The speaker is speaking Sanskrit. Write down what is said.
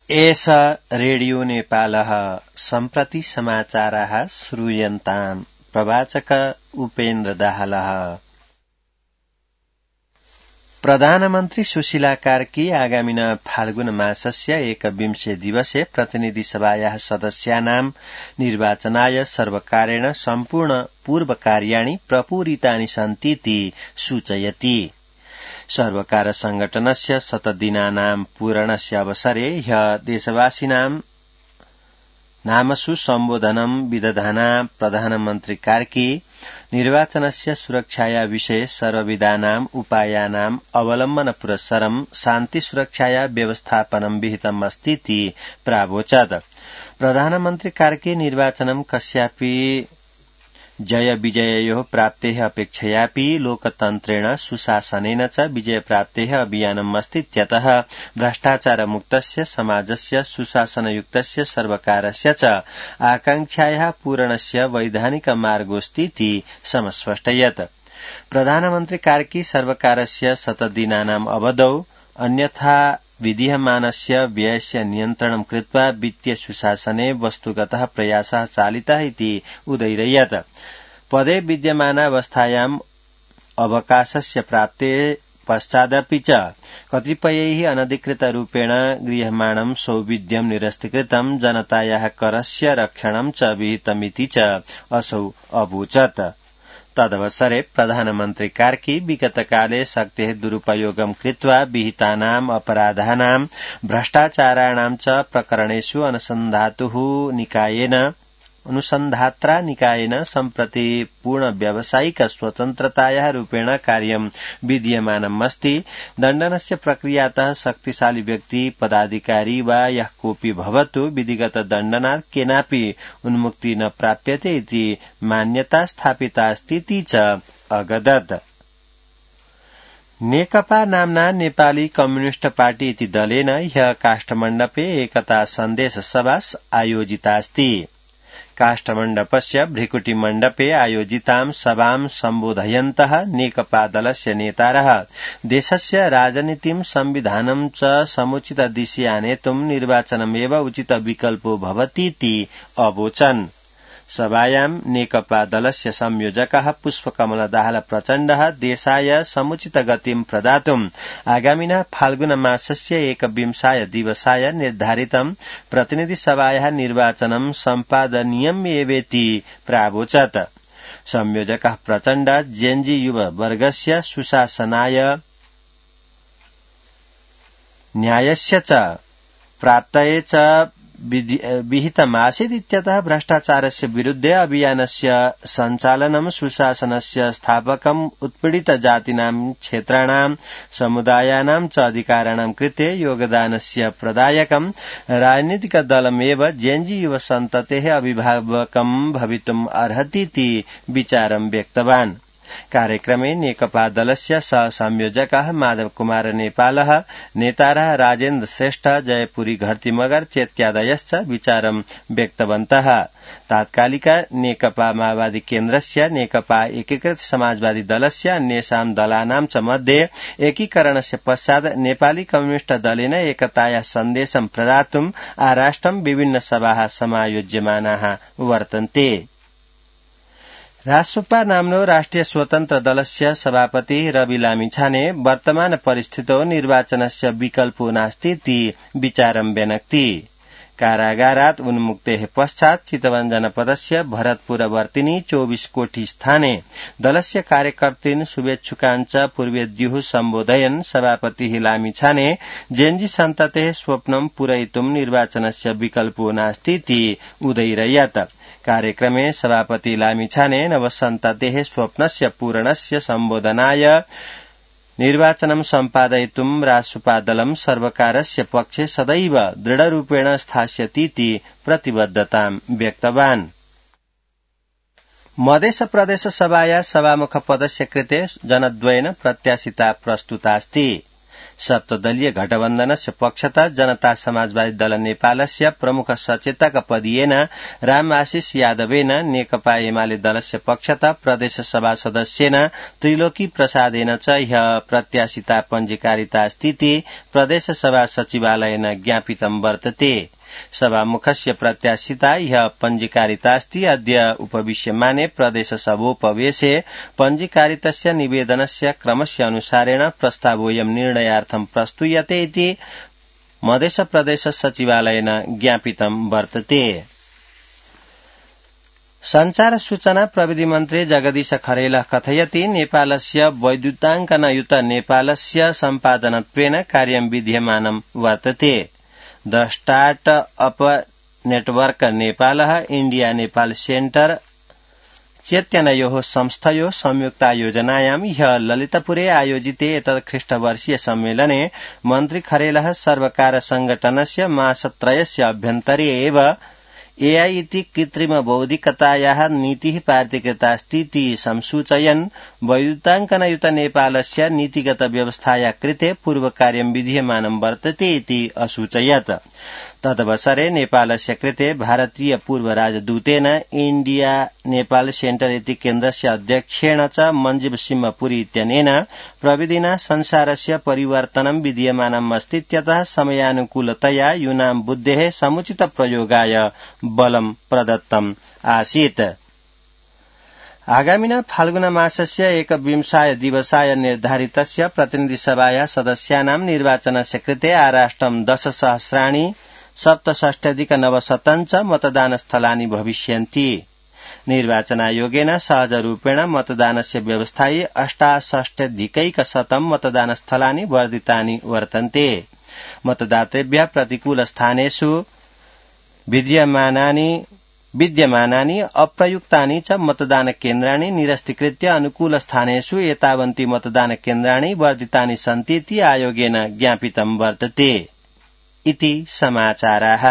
एष रेडियो नेपालः सम्प्रति समाचाराः श्रूयन्ताम्। प्रवाचक उपेन्द्र दाहालः। प्रधानमन्त्री सुशीला कार्की आगामिन फाल्गुन मासस्य 21 दिवसे प्रतिनिधि सभायाः सदस्यानां निर्वाचनाय सर्वकारेण सम्पूर्ण पूर्वकार्याणि प्रपूरितानि सन्तीति सूचयति। सर्वकार संघटनस्य 100 दिनानां पूरणस्य अवसरे ह्यः देशवासिनां नामसु सम्बोधनं विदधाना प्रधानमन्त्री कार्की निर्वाचनस्य सुरक्षाया विषये सर्वविधानाम् उपायानाम् अवलम्बन पुरस्सरं शान्ति सुरक्षाया व्यवस्थापनं विहितम् अस्तीति प्रावोचत्। प्रधानमन्त्री कार्की निर्वाचनं कस्यापि जय विजययोः प्राप्तेः अपेक्षयापि लोकतन्त्रेण सुशासनेन च विजयप्राप्तेः अभियानम् अस्तीत्यतः भ्रष्टाचारमुक्तस्य समाजस्य सुशासनयुक्तस्य सर्वकारस्य च आकांक्षायाः पूरणस्य वैधानिक मार्गोऽस्तीति समस्पष्टयत्। प्रधानमन्त्री कार्की सर्वकारस्य 100 दिनानाम् अवधौ अन्यथा विधीयमानस्य व्ययस्य नियन्त्रणं कृत्वा वित्तीय सुशासने वस्तुगतः प्रयासः चालितः इति उदयिरयत्। पदे विद्यमानावस्थायाम् अवकाशस्य प्राप्ते पश्चादपि च कतिपयैः अनधिकृतरूपेण गृह्यमाणं सौविध्यं निरस्तीकृतं जनतायाः करस्य रक्षणं च विहितमिति च असौ अवोचत्। तदवसरे प्रधानमन्त्री कार्की विगतकाले शक्तेः दुरुपयोगं कृत्वा विहितानाम् अपराधानां भ्रष्टाचाराणां च प्रकरणेषु अनुसन्धात्रा निकायेन सम्प्रति पूर्ण व्यावसायिक स्वतन्त्रतायाः रूपेण कार्यं विधीयमानम् अस्ति। दण्डनस्य प्रक्रियातः शक्तिशाली व्यक्ति पदाधिकारी वा यः कोऽपि भवतु विधिगत दण्डनात् केनापि उन्मुक्ति न प्राप्यते इति मान्यता स्थापिता अस्तीति च अगदत्। नेकपा नाम्ना नेपाली कम्युनिष्ट पार्टी इति दलेन ह्यः काष्ठमण्डपे एकता सन्देश सभा आयोजितास्ति। काष्ठमण्डपस्य भृकुटिमण्डपे आयोजितां सभां सम्बोधयन्तः नेकपा दलस्य नेतारः देशस्य राजनीतिं संविधानं च समुचित दिशि आनेतुं निर्वाचनमेव उचित विकल्पो भवतीति अवोचन्। सभायां नेकपा दलस्य संयोजकः पुष्पकमल दाहाल प्रचण्डः देशाय समुचित गतिं प्रदातुम् आगामिनः फाल्गुन मासस्य 21 दिवसाय निर्धारितं प्रतिनिधि सभायाः निर्वाचनं सम्पादनीयमेवेति प्रावोचत्। संयोजकः प्रचण्ड जेएनजी युव वर्गस्य सुशासनाय न्यायस्य च प्राप्तये च विहितमासीत् इत्यतः भ्रष्टाचारस्य विरुद्धे अभियानस्य सञ्चालनं सुशासनस्य स्थापकम् उत्पीडित जातीनां क्षेत्राणां समुदायानां च अधिकाराणां कृते योगदानस्य प्रदायकं राजनीतिक दलमेव जेएनजी युव सन्ततेः अभिभावकं भवितुम् अर्हतीति विचारं व्यक्तवान्। कार्यक्रमे नेकपा दलस्य सहसंयोजकः माधव कुमार नेपालः नेतारः राजेन्द्र श्रेष्ठ जयपुरी घरतीमगर चेत्यादयश्च विचारं व्यक्तवन्तः। तात्कालिक नेकपा माओवादी केन्द्रस्य नेकपा एकीकृत समाजवादी दलस्य अन्येषां दलानां च मध्ये एकीकरणस्य पश्चात् नेपाली कम्युनिष्ट दलेन एकतायाः सन्देशं प्रदातुम् आराष्ट्रं विभिन्न सभाः समायोज्यमानाः वर्तन्ते। रासोपा नाम्नो राष्ट्रिय स्वतन्त्र दलस्य सभापति रवि लामिछाने वर्तमान परिस्थितौ निर्वाचनस्य विकल्पो नास्तीति विचारं व्यनक्ति। कारागारात् उन्मुक्तेः पश्चात् चितवन जनपदस्य भरतपुरवर्तिनी 24 कोठी स्थाने दलस्य कार्यकर्तॄन् शुभेच्छुकान् च पूर्वेद्युः सम्बोधयन् सभापतिः लामिछाने जेएनजी सन्ततेः स्वप्नं पूरयितुं निर्वाचनस्य विकल्पो नास्तीति उदयिरयत्। कार्यक्रमे सभापति लामिछाने नवसन्ततेः स्वप्नस्य पूरणस्य सम्बोधनाय निर्वाचनं सम्पादयितुं रासोपा दलं सर्वकारस्य पक्षे सदैव दृढरूपेण स्थास्यतीति प्रतिबद्धतां व्यक्तवान्। मधेस प्रदेश सभाया सभामुख पदस्य कृते जनद्वयेन प्रत्याशिता प्रस्तुतास्ति। सप्तदलीय गठबन्धनस्य पक्षतः जनता समाजवादी दल नेपालस्य प्रमुख सचेतक पदीयेन राम आशिष यादवेन नेकपा एमाले दलस्य पक्षतः प्रदेश सभा सदस्येन त्रिलोकी प्रसादेन च ह्यः प्रत्याशिता पञ्जीकारिता स्थिति प्रदेश सभा सचिवालयेन ज्ञापितं वर्तते। सभामुखस्य प्रत्याशिता ह्यः पञ्जीकारितास्ति। अद्य उपविश्यमाने प्रदेश सभोपवेशे पञ्जीकारितस्य निवेदनस्य क्रमस्य अनुसारेण प्रस्तावोऽयं निर्णयार्थं प्रस्तूयते इति मधेश प्रदेश सचिवालयेन ज्ञापितं वर्तते। संचार सूचना प्रविधि मन्त्री जगदीश खरेलः कथयति नेपालस्य वैद्युताङ्कनयुत नेपालस्य सम्पादनत्वेन कार्यं विद्यमानं वर्तते। द स्टार्ट अप नेटवर्क नेपालः इण्डिया नेपाल सेन्टर चेत्यनयोः संस्थयोः संयुक्तायोजनायां ह्यः ललितपुरे आयोजिते एतत् ख्रीष्टवर्षीय सम्मेलने मन्त्री खरेलः सर्वकार संघटनस्य मासत्रयस्य अभ्यन्तरे एव एआई इति कृत्रिम बौद्धिकतायाः नीतिः पारिकृतास्तीति संसूचयन् वैद्युताङ्कनयुत नेपालस्य नीतिगत व्यवस्थाया कृते पूर्वकार्यं विधीयमानं वर्तते इति असूचयत्। तदवसरे नेपालस्य कृते भारतीय पूर्व राजदूतेन इण्डिया नेपाल सेन्टर इति केन्द्रस्य अध्यक्षेण च मञ्जीव सिंह पुरी इत्यनेन प्रविधिना संसारस्य परिवर्तनं विधीयमानम् अस्तीत्यतः समयानुकूलतया यूनां बुद्धेः समुचित प्रयोगाय बलं प्रदत्तम् आसीत्। आगामिना फाल्गुन मासस्य 21 दिवसाय निर्धारितस्य प्रतिनिधिसभाया सदस्यानां निर्वाचनस्य कृते आराष्ट्रं 10,000 67,900 च मतदानस्थलानि भविष्यन्ति। निर्वाचनायोगेन सहजरूपेण मतदानस्य व्यवस्थायै 68,100 मतदानस्थलानि वर्धितानि वर्तन्ते। मतदातृभ्यः प्रतिकूलस्थानेषु विद्यमानानि अप्रयुक्तानि च मतदानकेन्द्राणि निरस्तीकृत्य अनुकूलस्थानेषु एतावन्ति मतदानकेन्द्राणि वर्धितानि सन्तीति आयोगेन ज्ञापितं वर्तते इति समाचाराः।